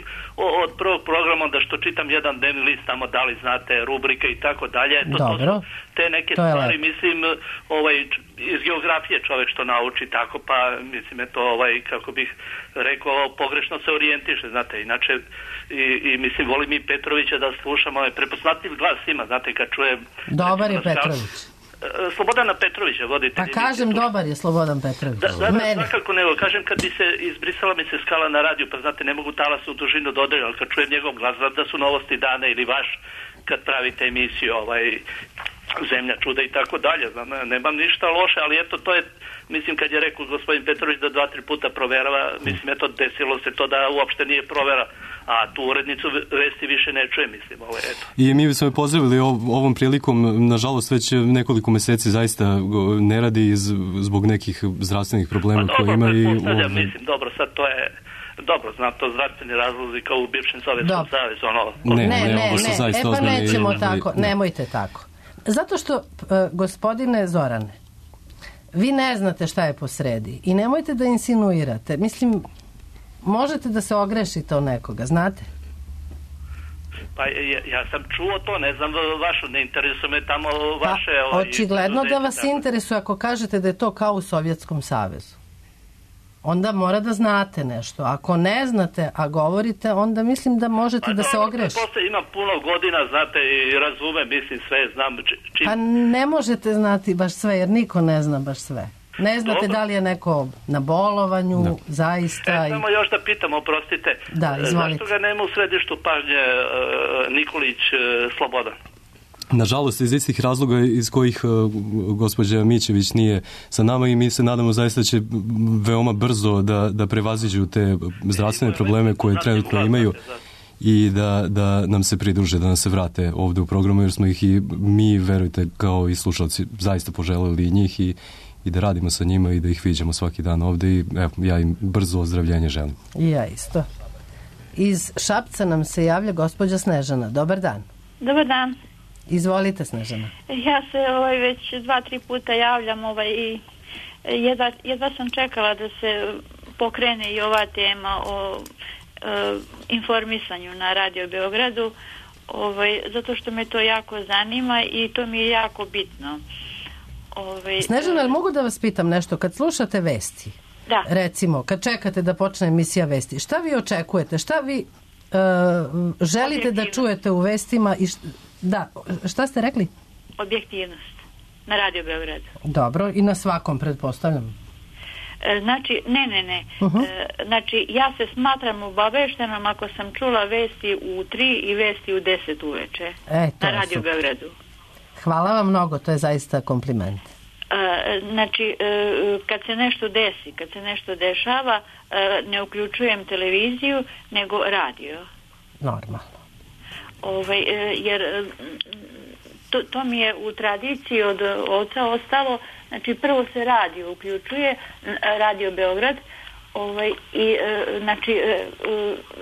od prvog programa, da što čitam jedan dnevni list tamo, da li znate, rubrike i tako dalje. Dobro. Te neke stvari, mislim, iz geografije čovjek što nauči tako, pa mislim je to kako bih rekao, pogrešno se orijentiše, znate, inače i mislim volim i Petrovića da slušam, prepoznatljiv glas ima, znate, kad čujem... Dobar je Petrović. Slobodana Petrovića vodite. Pa kažem, dobar je Slobodan Petrović. Da, svakako nego, kažem, kad bi se izbrisala mi se skala na radiju, pa znate, ne mogu talasnu dužinu dodati, ali kad čujem njegov glas, znam da su Novosti dana ili vaš, kad pravite emisiju, Zemlja čuda i tako dalje, znam, nemam ništa loše, ali eto, to je, mislim, kad je rekao gospodin Petrović da 2-3 puta proverava, mislim, eto, desilo se to da uopšte nije provera, a tu urednicu vesti više ne čuje, mislim, eto. I mi smo je pozdravili ovom prilikom, nažalost, već nekoliko meseci zaista ne radi zbog nekih zdravstvenih problema koje ima i... Mislim, dobro, sad to je... Dobro, znam to zdravstveni razlozi kao u bivšem Sovjetskom savezu, Ne, pa nećemo tako, nemojte tako. Zato što, gospodine Zorane, vi ne znate šta je posredi i nemojte da insinuirate. Mislim, možete da se ogrešite o nekoga, znate? Pa ja sam čuo to, ne znam vašu, ne interesuje me tamo vaše... Očigledno da vas interesuje ako kažete da je to kao u Sovjetskom savezu. Onda mora da znate nešto. Ako ne znate, a govorite, onda mislim da možete da se ogrešite. Posle imam puno godina, znate, i razumem, mislim sve, znam čim... Pa ne možete znati baš sve, jer niko ne zna baš sve. Ne znate da li je neko na bolovanju, zaista... Samo još da pitam, oprostite, zašto ga nema u središtu pažnje Nikolić Slobodan? Nažalost, iz istih razloga iz kojih gospođa Mićević nije sa nama i mi se nadamo zaista će veoma brzo da prevaziđu te zdravstvene probleme koje trenutno imaju i da nam se pridruže, da nam se vrate ovde u programu, jer smo ih i mi, verujte, kao i slušalci, zaista poželeli njih i da radimo sa njima i da ih viđamo svaki dan ovde i ja im brzo ozdravljenje želim. I ja isto. Iz Šapca nam se javlja gospođa Snežana. Dobar dan. Dobar dan. Izvolite, Snežana. Ja se već 2-3 puta javljam i jedva sam čekala da se pokrene i ova tema o informisanju na Radio Beogradu, zato što me to jako zanima i to mi je jako bitno. Snežana, ali mogu da vas pitam nešto? Kad slušate vesti, da. Recimo, kad čekate da počne emisija vesti, šta vi očekujete? Šta vi želite da čujete u vestima i da, šta ste rekli? Objektivnost na Radio Beogradu. Dobro, i na svakom, pretpostavljam. Znači, ne. Znači, ja se smatram obaveštenom ako sam čula vesti u 3 i vesti u 10 uveče na Radio Beogradu. Hvala vam mnogo, to je zaista kompliment. Znači, kad se nešto desi, kad se nešto dešava, ne uključujem televiziju, nego radio. Normalno. Jer to mi je u tradiciji od oca ostalo, znači prvo se radio uključuje, Radio Beograd, i znači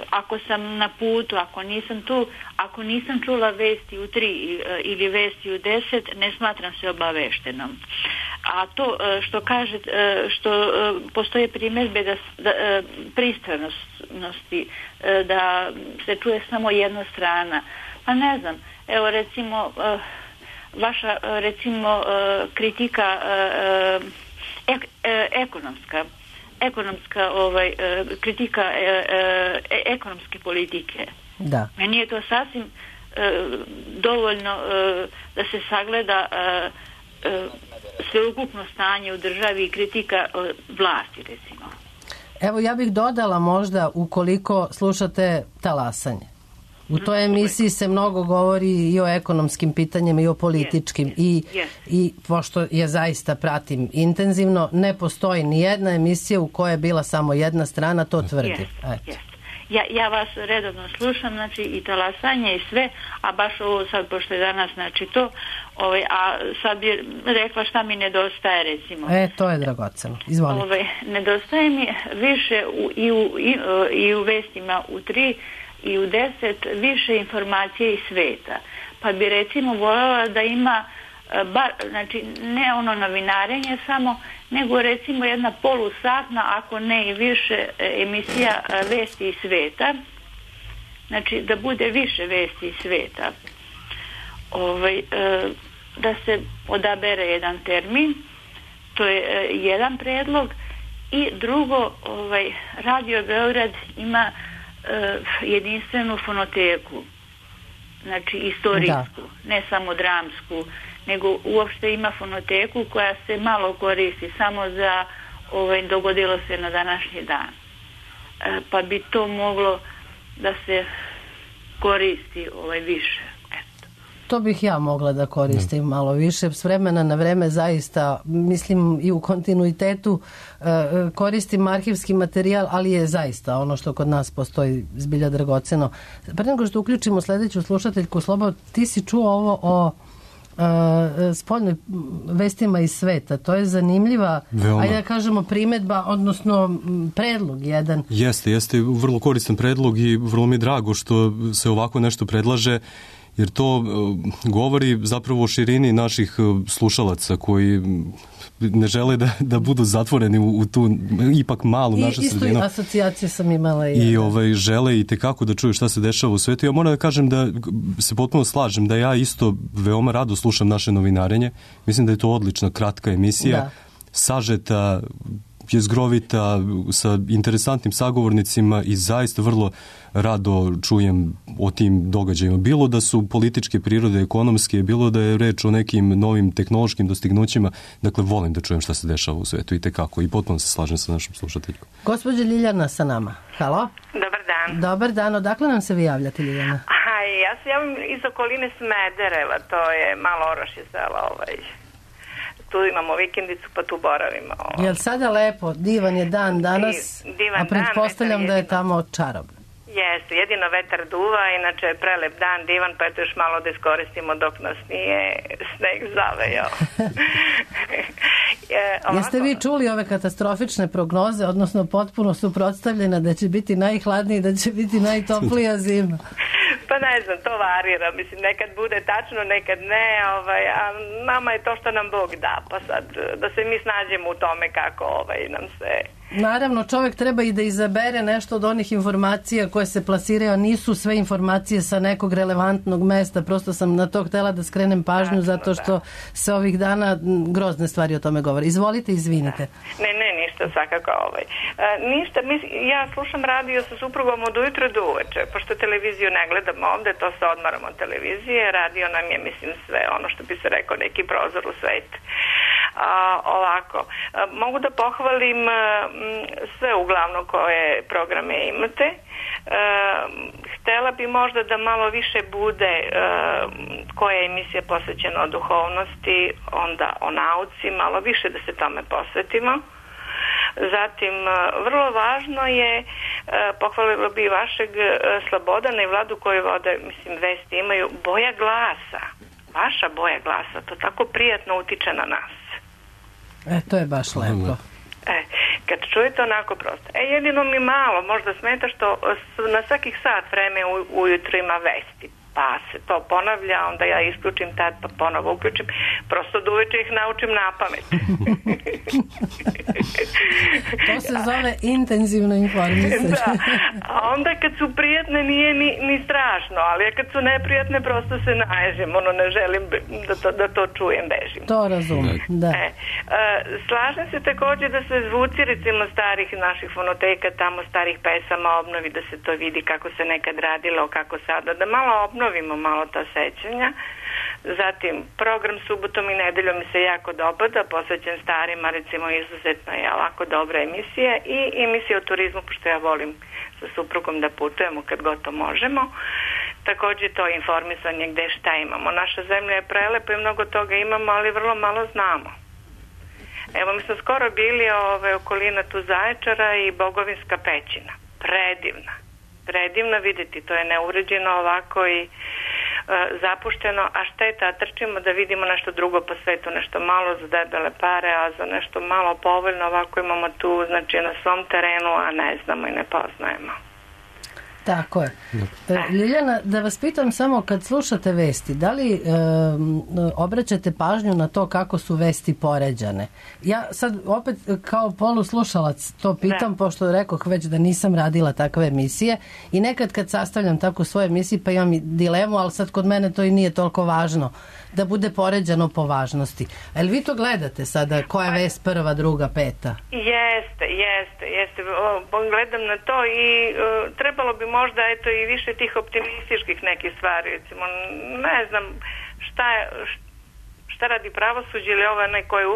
ako sam na putu, ako nisam tu, ako nisam čula vesti u 3 ili vesti u 10, ne smatram se obaveštenom. A to što kažete, što postoje primjedbe da pristranosti, da se čuje samo jedna strana, pa ne znam, evo recimo vaša recimo kritika ekonomska kritika ekonomske politike. Da. Meni je to sasvim dovoljno da se sagleda sveukupno stanje u državi i kritika vlasti, recimo. Evo, ja bih dodala možda ukoliko slušate Talasanje. U toj emisiji se mnogo govori i o ekonomskim pitanjima i o političkim i pošto je zaista pratim intenzivno, ne postoji ni jedna emisija u kojoj je bila samo jedna strana, to tvrdi. Ja vas redovno slušam, znači i Talasanje i sve, a baš ovo sad, pošto je danas, znači to, a sad bi rekla šta mi nedostaje, recimo. To je dragoceno. Izvolite. Nedostaje mi više i u vestima u 3 i u 10 više informacije iz sveta. Pa bi recimo voljela da ima znači ne ono novinarenje samo, nego recimo jedna polusatna, ako ne i više emisija vesti iz sveta. Znači da bude više vesti iz sveta. Da se odabere jedan termin. To je jedan predlog. I drugo, Radio Beograd ima jedinstvenu fonoteku, znači istorijsku, ne samo dramsku, nego uopšte ima fonoteku koja se malo koristi samo za dogodilo se na današnji dan. Pa bi to moglo da se koristi više. To bih ja mogla da koristim malo više. S vremena na vreme zaista, mislim i u kontinuitetu koristim arhivski materijal, ali je zaista ono što kod nas postoji zbilja dragoceno. Pre nego što uključimo sledeću slušateljku, Slobo, ti si čuo ovo o spoljnoj vestima iz sveta. To je zanimljiva, ajde da kažemo primedba, odnosno predlog jedan. Jeste vrlo koristan predlog i vrlo mi je drago što se ovako nešto predlaže, jer to govori zapravo o širini naših slušalaca koji ne žele da budu zatvoreni u tu ipak malu našu sredinu. Isto asocijacije sam imala. I žele i tekako da čuju šta se dešava u svetu. Ja moram da kažem da se potpuno slažem da ja isto veoma rado slušam naše novinarenje. Mislim da je to odlična, kratka emisija, sažeta, jezgrovita, sa interesantnim sagovornicima i zaista vrlo rado čujem o tim događajima. Bilo da su političke prirode, ekonomske, bilo da je reč o nekim novim tehnološkim dostignućima. Dakle, volim da čujem šta se dešava u svetu i tekako. I potpuno se slažem sa našom slušateljkom. Gospođa Ljiljana sa nama. Halo? Dobar dan. Dobar dan. Odakle nam se vi javljate, Ljiljana? Ja se javim iz okoline Smedereva. To je malo Orašje sela tu imamo vikendicu, pa tu boravimo. Jel sada lepo? Divan je dan danas, a pretpostavljam da je tamo čarobno. Jeste, jedino vetar duva, inače je prelep dan, divan, pa eto još malo da iskoristimo dok nas nije sneg zavejao. Jeste vi čuli ove katastrofične prognoze, odnosno potpuno suprotstavljena da će biti najhladniji i da će biti najtoplija zima? Pa ne znam, to varira. Mislim, nekad bude tačno, nekad ne, a nama je to što nam Bog da, pa sad da se mi snađemo u tome kako nam se... Naravno, čovjek treba i da izabere nešto od onih informacija koje se plasiraju, a nisu sve informacije sa nekog relevantnog mesta. Prosto sam na to htjela da skrenem pažnju zato što se ovih dana grozne stvari o tome govore. Izvolite, izvinite. Ne, ništa, svakako ništa, ja slušam radio sa suprugom od ujutro do uveče, pošto televiziju ne gledamo ovde, to se odmaramo od televizije, radio nam je, mislim, sve ono što bi se rekao, neki prozor u svet. Ovako, mogu da pohvalim sve uglavnom koje programe imate. Htela bi možda da malo više bude koja je emisija posvećena o duhovnosti, onda o nauci, malo više da se tome posvetimo. Zatim, vrlo važno je, pohvalila bi vašeg Slobodana i Vladu koji vode, mislim, vesti imaju, boja glasa. Vaša boja glasa, to tako prijatno utiče na nas. To je baš lepo. Kad čujete onako prosto. Jedino mi malo možda smeta što na svakih sat vreme ujutro ima vesti. Pa se to ponavlja, onda ja isključim tad, pa ponovo uključim. Prosto da uveče ih naučim na pamet. To se zove intenzivno informisanje. Da. A onda kad su prijatne nije ni strašno, ali kad su neprijatne prosto se naježim. Ne želim da to čujem, bežim. To razumem, da. Slažem se također da se zvuci recimo starih naših fonoteka, tamo starih pesama obnovi, da se to vidi kako se nekad radilo, kako sada, da malo obnovimo malo ta sećanja. Zatim, program subotom i nedeljom mi se jako dopada, posvećen starima, recimo izuzetno je lako dobra emisija i emisija o turizmu, pošto ja volim sa suprugom da putujemo kad god to možemo. Također to informisanje gde šta imamo. Naša zemlja je prelepa i mnogo toga imamo, ali vrlo malo znamo. Evo, mi smo skoro bili okolina tu Zaječara i Bogovinska pećina. Predivna vidjeti, to je neuređeno ovako i zapušteno, a šteta, trčimo da vidimo nešto drugo po svetu, nešto malo za debele pare, a za nešto malo povoljno ovako imamo tu, znači na svom terenu, a ne znamo i ne poznajemo. Tako je. Ljiljana, da vas pitam samo, kad slušate vesti, da li obraćate pažnju na to kako su vesti poređane? Ja sad opet kao poluslušalac to pitam, pošto rekoh već da nisam radila takve emisije i nekad kad sastavljam tako svoje emisije pa imam i dilemu, ali sad kod mene to i nije toliko važno da bude poređano po važnosti. A jel vi to gledate sada? Koja je vest prva, druga, peta? Jeste. Gledam na to i trebalo bi možda eto i više tih optimističkih nekih stvari, recimo ne znam šta radi pravosuđe ili ovaj neko je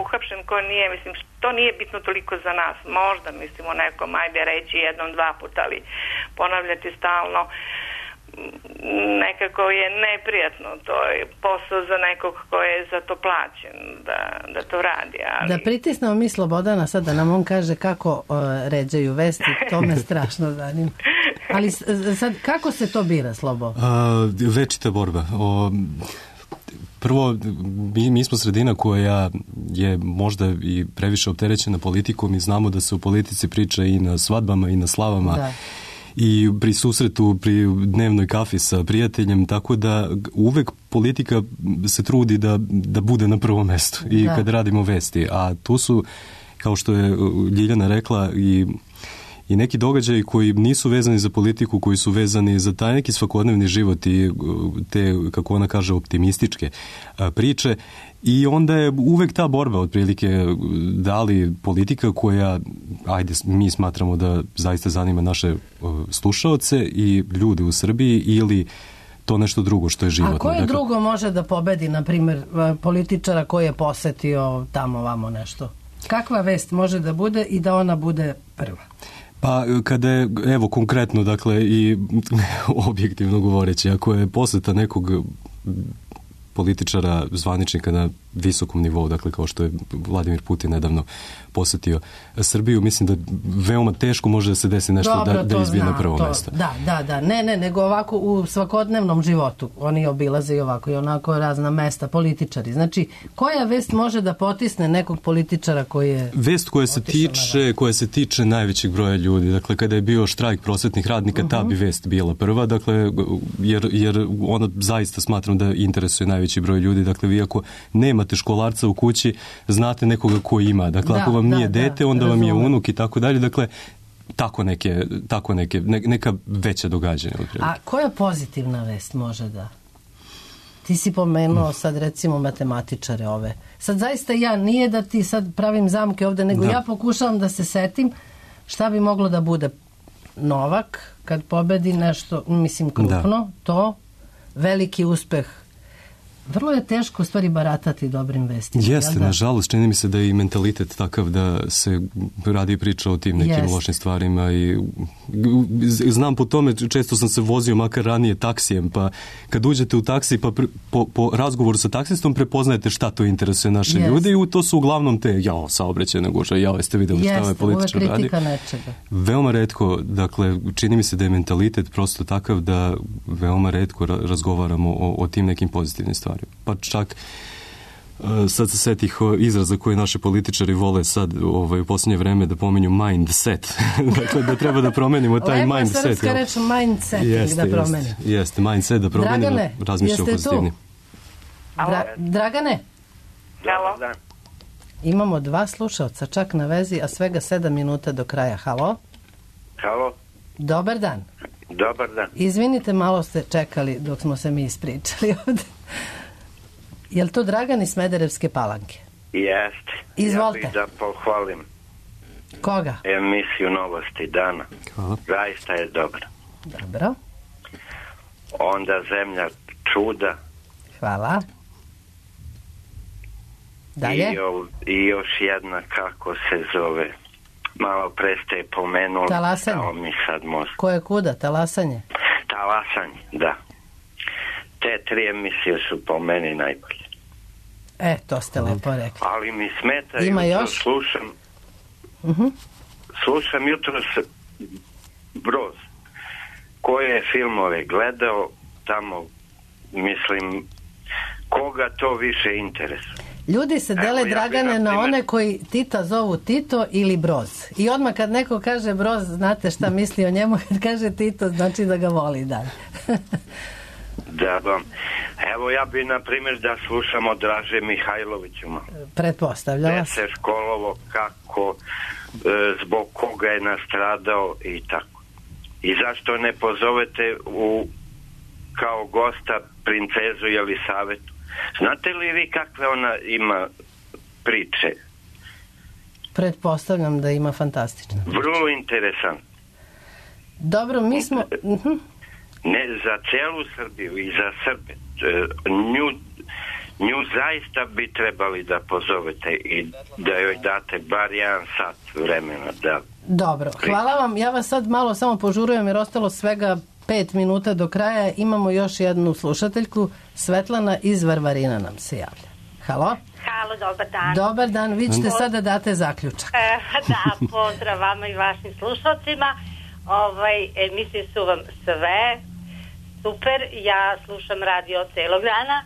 uhapšen, ko nije, mislim to nije bitno toliko za nas, možda mislimo nekom ajde reći jednom, dva puta, ali ponavljati stalno nekako je neprijatno, to je posao za nekog ko je za to plaćen da to radi. Ali... Da pritisnemo mi Slobodana sad da nam on kaže kako ređaju vesti, to me strašno zanima. Ali sad, kako se to bira, Slobo? Večita borba. Prvo, mi smo sredina koja je možda i previše opterećena politikom i znamo da se u politici priča i na svadbama i na slavama. Da. I pri susretu, pri dnevnoj kafi sa prijateljem, tako da uvek politika se trudi da bude na prvom mestu i kad radimo vesti. A tu su, kao što je Ljiljana rekla, i neki događaji koji nisu vezani za politiku, koji su vezani za taj neki svakodnevni život i te, kako ona kaže, optimističke priče. I onda je uvek ta borba otprilike da li politika koja, ajde, mi smatramo da zaista zanima naše slušaoce i ljude u Srbiji ili to nešto drugo što je životno. A koje drugo može da pobedi, na primjer, političara koji je posetio tamo vamo nešto? Kakva vest može da bude i da ona bude prva? Pa kada je, evo konkretno, dakle i objektivno govoreći, ako je poseta nekog političara, zvaničnika na visokom nivou, dakle kao što je Vladimir Putin nedavno posetio Srbiju, mislim da veoma teško može da se desi nešto da izbije na prvo mesto. Da. Ne, nego ovako u svakodnevnom životu. Oni obilaze i ovako i onako razna mesta, političari. Znači, koja vest može da potisne nekog političara koji je... Vest koja se tiče najvećeg broja ljudi. Dakle, kada je bio štrajk prosvetnih radnika, ta bi vest bila prva, dakle, jer ona zaista smatram da interesuje najveći broj ljudi. Dakle, vi ako nemate školarca u kući, znate nekoga ko ima. Dakle, ako vam nije dete, onda vam je unuk i tako dalje. Dakle, neka veća događanja. A koja pozitivna vest može da? Ti si pomenuo sad recimo matematičare ove. Sad zaista nije da ti sad pravim zamke ovde, nego ja pokušavam da se setim šta bi moglo da bude. Novak, kad pobedi nešto, mislim krupno, to veliki uspeh. Vrlo je teško u stvari baratati dobrim vestima. Jeste, nažalost, čini mi se da je i mentalitet takav da se radi priča o tim nekim lošim stvarima i znam po tome, često sam se vozio makar ranije taksijem, pa kad uđete u taksi pa po razgovoru sa taksistom prepoznajete šta to interesuje naše ljude i to su uglavnom te saobraćajne gužve, jeste videli šta ovaj političar radi. Kritika nečega. Veoma retko, dakle, čini mi se da je mentalitet prosto takav da veoma retko razgovaramo o tim nekim pozitivnim stvarima. Pa čak sad se setih izraza koje naši političari vole sad u posljednje vreme da pomenju mindset. Dakle, da treba da promenimo taj mindset. Lepo srpska reč mindsetting da promenimo. Jeste, mindset da promenimo. Dragane, jeste tu? Dragane? Halo. Imamo 2 slušalca čak na vezi, a svega 7 minuta do kraja. Halo? Halo. Dobar dan. Dobar dan. Izvinite, malo ste čekali dok smo se mi ispričali ovde. Je li to Dragan iz Smederevske Palanke? Jeste. Izvolite. Ja bih da pohvalim. Koga? Emisiju Novosti dana. Hvala. Zaista je dobra. Dobro. Onda Zemlja čuda. Hvala. Dalje? I još jedna, kako se zove, malo pre ste pomenuli. Talasanje. Mi sad možemo. Koje kuda? Talasanje? Talasanje, da. Te 3 emisije su po meni najbolje. To ste lepo rekli. Ali mi smeta, ima jutro još? Slušam jutros Broz. Koje je filmove gledao tamo, mislim, koga to više interesuje? Ljudi se dele, Dragane, na one koji Tita zovu Tito ili Broz. I odmah kad neko kaže Broz, znate šta misli o njemu, kad kaže Tito, znači da ga voli dalje. Da, evo ja bi na primjer da slušamo Draže Mihajloviću. Pretpostavljala se školovo kako, zbog koga je nastradao i tako. I zašto ne pozovete kao gosta princezu Jelisavetu? Znate li vi kakve ona ima priče? Pretpostavljam da ima fantastično. Vrlo interesant. Dobro, mi smo... Ne, za celu Srbiju i za Srbe. Nju zaista bi trebali da pozovete i da joj date bar 1 sat vremena. Dobro, hvala vam. Ja vas sad malo samo požurujem jer ostalo svega 5 minuta do kraja. Imamo još jednu slušateljku. Svetlana iz Varvarina nam se javlja. Halo? Halo, dobar dan. Dobar dan, vi ćete sada date zaključak. Da, pozdrav vama i vašim slušalcima. Emisije su vam sve super. Ja slušam radio celog dana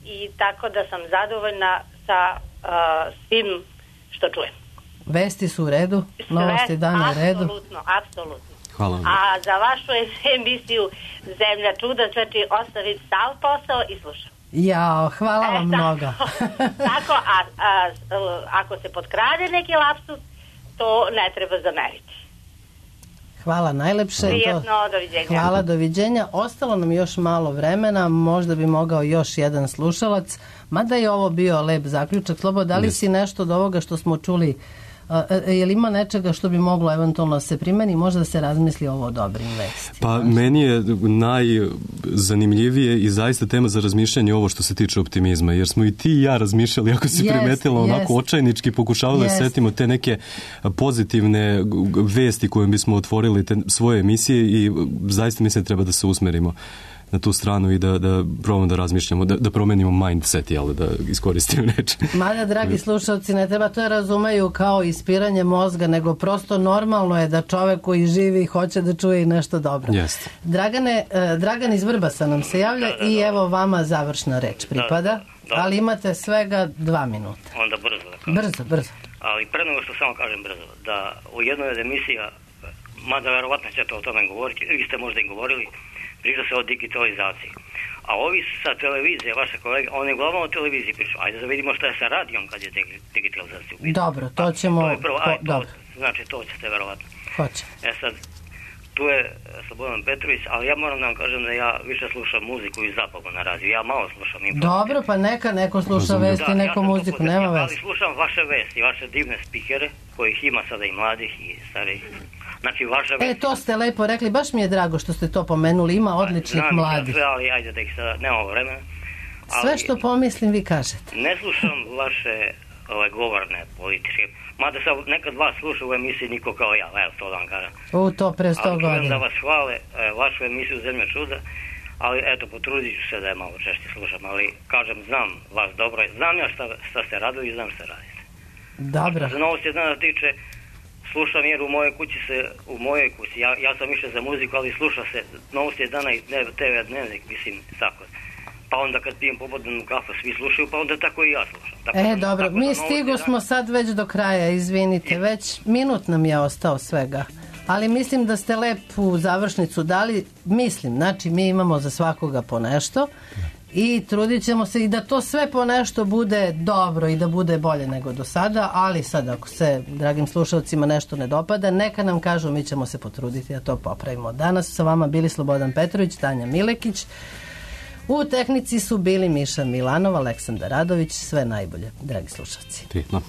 i tako da sam zadovoljna sa svim što čujem. Vesti su u redu? Novosti dana u redu? Apsolutno. Hvala vam. A za vašu emisiju Zemlja čuda, znači ostaviti sav posao i slušam. Jao, hvala vam mnogo. Tako, ako se potkrade neki lapsus, to ne treba zameriti. Hvala najlepše. Prijetno, doviđenja. Hvala, doviđenja. Ostalo nam još malo vremena, možda bi mogao još jedan slušalac, mada je ovo bio lep zaključak. Slobo, da li si nešto od ovoga što smo čuli, je li ima nečega što bi moglo eventualno se primeni, možda se razmisli ovo o dobrim vestima? Pa meni je najzanimljivije i zaista tema za razmišljanje ovo što se tiče optimizma, jer smo i ti i ja razmišljali, ako si primetila, onako očajnički pokušavali da setimo te neke pozitivne vesti kojim bismo otvorili te svoje emisije i zaista mislim da treba da se usmerimo na tu stranu i da probamo da razmišljamo, da promenimo mindset, jel, da iskoristimo reč. Mada, dragi slušalci, ne treba to razumeju kao ispiranje mozga, nego prosto normalno je da čovek koji živi hoće da čuje i nešto dobro. Jeste. Dragan iz Vrbasa nam se javlja i evo vama završna reč pripada, ali imate svega 2 minuta. Onda brzo da kažem. Brzo. Ali pre nego što samo kažem brzo, da u jednoj od emisija, mada verovatno ćete o tome govoriti, vi ste možda i govorili, priča se o digitalizaciji. A ovi sa televizije, vaše kolege, oni uglavnom o televiziji priču. Ajde da vidimo šta je sa radijom kad je digitalizacija. Dobro, to ćemo... Dobro. Znači, to ćete verovatno. Hoće. Sad, tu je Slobodan Petrović, ali ja moram da vam kažem da ja više slušam muziku i zabavu na radiju. Ja malo slušam informacije. Dobro, pa neko sluša vesti, neko muziku, nema vesti. Ali slušam vaše vesti, vaše divne spikere, kojih ima sada i mladih i starih. Znači, to ste lepo rekli, baš mi je drago što ste to pomenuli, ima odličnih mladih. Sve, ali ajde da ih sada, nemamo vremena. Sve što pomislim vi kažete. Ne slušam vaše govorne političke, mada sam nekad vas slušao u emisiji niko kao ja, evo to da vam kažem. To pre 100 godina. Ali da vas hvale, vašu emisiju Zemlja čuda, ali eto, potrudit ću se da je malo češće slušam, ali kažem, znam vas dobro, znam ja šta ste radili i znam šta radite. Dobro. Za novosti dana tiče, slušam jer u mojoj kući, ja sam više za muziku, ali sluša se novosti dana i TV dnevnik, mislim, tako. Pa onda kad pijem popodnevnu kafu, svi slušaju, pa onda tako i ja slušam. Dobro, mi stigo smo sad već do kraja, izvinite, već minut nam je ostao svega. Ali mislim da ste lepu završnicu dali, znači mi imamo za svakoga po nešto i trudit ćemo se i da to sve po nešto bude dobro i da bude bolje nego do sada, ali sad ako se dragim slušalcima nešto ne dopada, neka nam kažu, mi ćemo se potruditi da to popravimo. Danas su sa vama bili Slobodan Petrović, Tanja Milekić, u tehnici su bili Miša Milanov, Aleksandar Radović, sve najbolje, dragi slušalci. Prijetno.